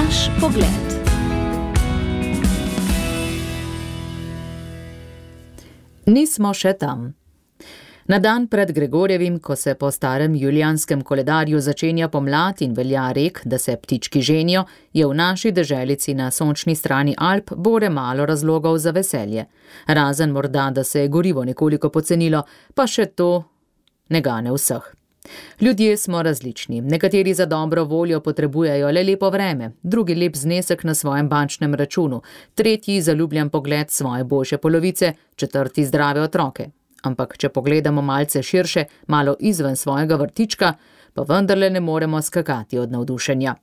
Naš pogled. Nismo še tam. Na dan pred Gregorjevim, ko se po starem julijanskem koledarju začenja pomlad in velja rek, da se ptički ženijo, je v naši deželici na sončni strani Alp bore malo razlogov za veselje. Razen morda, da se je gorivo nekoliko pocenilo, pa še to ne gane vseh. Ljudje smo različni. Nekateri za dobro voljo potrebujejo le lepo vreme, drugi lep znesek na svojem bančnem računu, tretji zaljubljen pogled svoje boljše polovice, četrti zdrave otroke. Ampak če pogledamo malce širše, malo izven svojega vrtička, pa vendarle ne moremo skakati od navdušenja.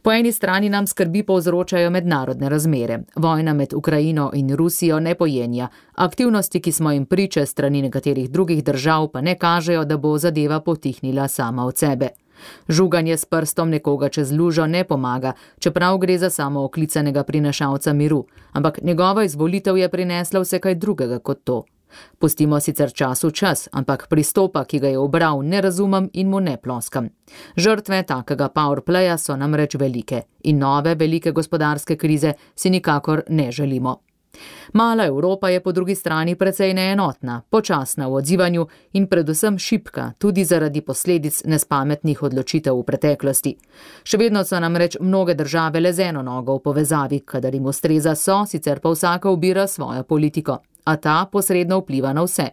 Po eni strani nam skrbi povzročajo mednarodne razmere. Vojna med Ukrajino in Rusijo ne pojenja. Aktivnosti, ki smo jim priče strani nekaterih drugih držav, pa ne kažejo, da bo zadeva potihnila sama od sebe. Žuganje s prstom nekoga čez lužo ne pomaga, čeprav gre za samooklicanega prinašalca miru, ampak njegova izvolitev je prinesla vse kaj drugega kot to. Pustimo sicer času čas, ampak pristopa, ki ga je ubral, ne razumem in mu ne ploskam. Žrtve takega powerplaya so namreč velike in nove velike gospodarske krize si nikakor ne želimo. Mala Evropa je po drugi strani precej neenotna, počasna v odzivanju in predvsem šibka, tudi zaradi posledic nespametnih odločitev v preteklosti. Še vedno so namreč mnoge države le z eno nogo v povezavi, kadar jim ustreza so, sicer pa vsaka ubira svojo politiko, a ta posredno vpliva na vse.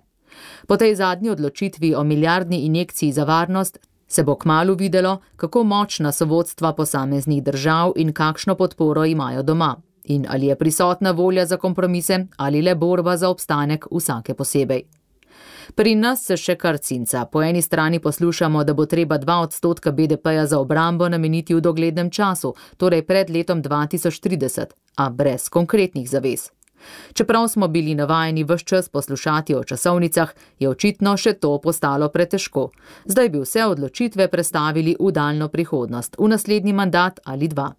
Po tej zadnji odločitvi o milijardni injekciji za varnost se bo kmalu videlo, kako močna so vodstva posameznih držav in kakšno podporo imajo doma. In ali je prisotna volja za kompromise ali le borba za obstanek vsake posebej. Pri nas se še kar cinca. Po eni strani poslušamo, da bo treba 2% BDP-ja za obrambo nameniti v doglednem času, torej pred letom 2030, a brez konkretnih zavez. Čeprav smo bili navajeni ves čas poslušati o časovnicah, je očitno še to postalo pretežko. Zdaj bi vse odločitve prestavili v daljno prihodnost, v naslednji mandat ali dva.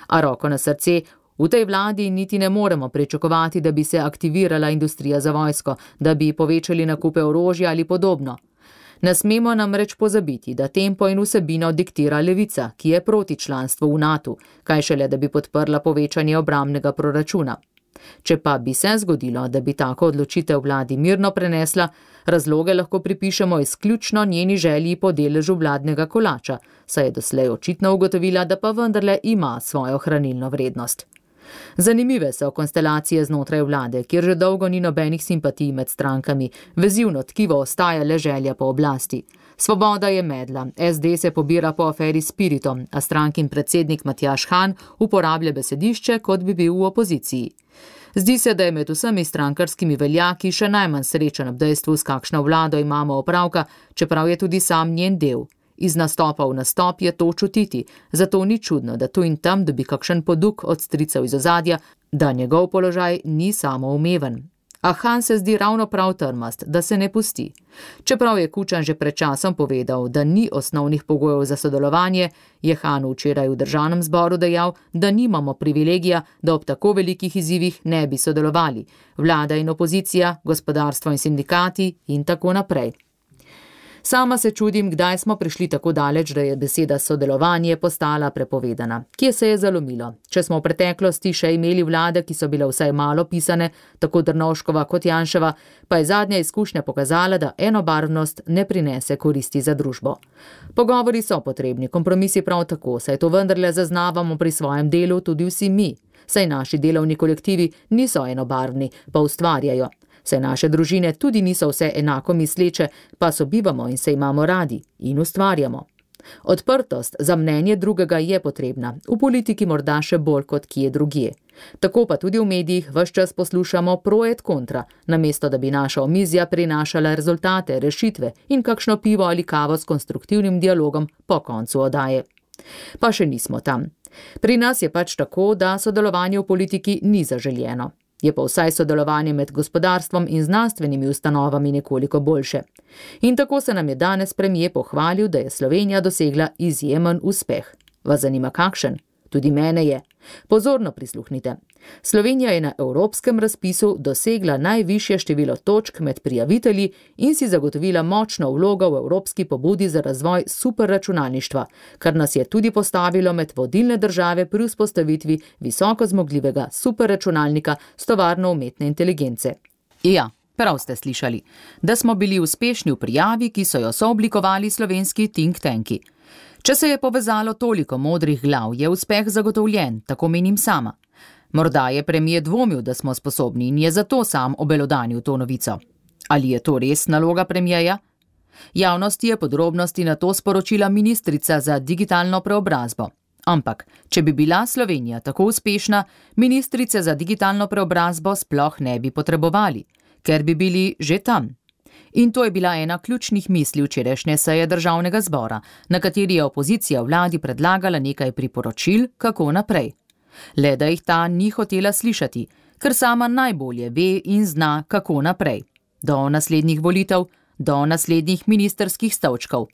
A roko na srce, v tej vladi niti ne moremo pričakovati, da bi se aktivirala industrija za vojsko, da bi povečali nakupe orožja ali podobno. Ne smemo namreč pozabiti, da tempo in vsebino diktira levica, ki je proti članstvu v NATO, kaj šele, da bi podprla povečanje obrambnega proračuna. Če pa bi se zgodilo, da bi tako odločitev vladi mirno prenesla, razloge lahko pripišemo izključno njeni želji po deležu vladnega kolača, saj je doslej očitno ugotovila, da pa vendarle ima svojo hranilno vrednost. Zanimive so konstelacije znotraj vlade, kjer že dolgo ni nobenih simpatij med strankami, vezivno tkivo ostaja le želja po oblasti. Svoboda je medla, SD se pobira po aferi Spiritom, a strankin predsednik Matjaž Han uporablja besedišče, kot bi bil v opoziciji. Zdi se, da je med vsemi strankarskimi veljaki še najmanj srečen ob dejstvu, s kakšno vlado imamo opravka, čeprav je tudi sam njen del. Iz nastopa v nastop je to čutiti, zato ni čudno, da tu in tam dobi kakšen poduk od stricev iz ozadja, da njegov položaj ni samoumeven. A Han se zdi ravno prav trmast, da se ne pusti. Čeprav je Kučan že pred časom povedal, da ni osnovnih pogojev za sodelovanje, je Han včeraj v državnem zboru dejal, da nimamo privilegija, da ob tako velikih izzivih ne bi sodelovali. Vlada in opozicija, gospodarstvo in sindikati in tako naprej. Sama se čudim, kdaj smo prišli tako daleč, da je beseda sodelovanje postala prepovedana. Kje se je zalomilo? Če smo v preteklosti še imeli vlade, ki so bile vsaj malo pisane, tako Drnovškova kot Janševa, pa je zadnja izkušnja pokazala, da enobarvnost ne prinese koristi za družbo. Pogovori so potrebni, kompromisi prav tako, saj to vendarle zaznavamo pri svojem delu tudi vsi mi. Saj naši delovni kolektivi niso enobarvni, pa ustvarjajo. Saj naše družine tudi niso vse enako misleče, pa sobivamo in se imamo radi in ustvarjamo. Odprtost za mnenje drugega je potrebna, v politiki morda še bolj kot kje drugje. Tako pa tudi v medijih ves čas poslušamo pro et kontra, namesto da bi naša omizja prinašala rezultate, rešitve in kakšno pivo ali kavo s konstruktivnim dialogom po koncu oddaje. Pa še nismo tam. Pri nas je pač tako, da sodelovanje v politiki ni zaželjeno. Je pa vsaj sodelovanje med gospodarstvom in znanstvenimi ustanovami nekoliko boljše. In tako se nam je danes premier pohvalil, da je Slovenija dosegla izjemen uspeh. Vas zanima kakšen? Tudi mene je. Pozorno prisluhnite. Slovenija je na evropskem razpisu dosegla najvišje število točk med prijavitelji in si zagotovila močno vlogo v evropski pobudi za razvoj superračunalništva, kar nas je tudi postavilo med vodilne države pri vzpostavitvi visoko zmogljivega superračunalnika s tovarno umetne inteligence. Ja, prav ste slišali, da smo bili uspešni v prijavi, ki so jo sooblikovali slovenski think tanki. Če se je povezalo toliko modrih glav, je uspeh zagotovljen, tako menim sama. Morda je premier dvomil, da smo sposobni in je zato sam obelodanil to novico. Ali je to res naloga premierja? Javnosti je podrobnosti na to sporočila ministrica za digitalno preobrazbo. Ampak, če bi bila Slovenija tako uspešna, ministrice za digitalno preobrazbo sploh ne bi potrebovali, ker bi bili že tam. In to je bila ena ključnih misli včerajšnje seje državnega zbora, na kateri je opozicija vladi predlagala nekaj priporočil, kako naprej. Le da jih ta ni hotela slišati, ker sama najbolje ve in zna, kako naprej. Do naslednjih volitev, do naslednjih ministrskih stolčkov.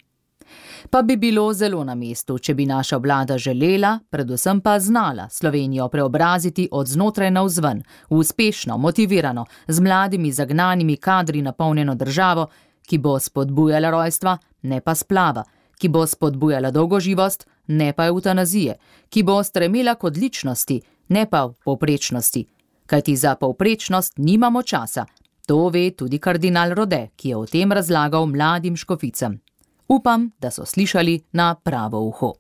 Pa bi bilo zelo na mestu, če bi naša vlada želela, predvsem pa znala Slovenijo preobraziti od znotraj navzven, v uspešno, motivirano, z mladimi zagnanimi kadri napolnjeno državo, ki bo spodbujala rojstva, ne pa splava, ki bo spodbujala dolgoživost, ne pa evtanazije, ki bo stremela k odličnosti, ne pa v povprečnosti. Kajti za povprečnost nimamo časa. To ve tudi kardinal Rode, ki je o tem razlagal mladim škoficam. Upam, da so slišali na pravo uho.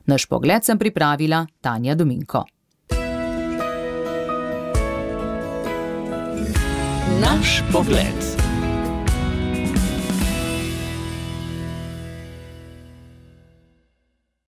Naš pogled sem pripravila Tanja Dominko. Naš pogled.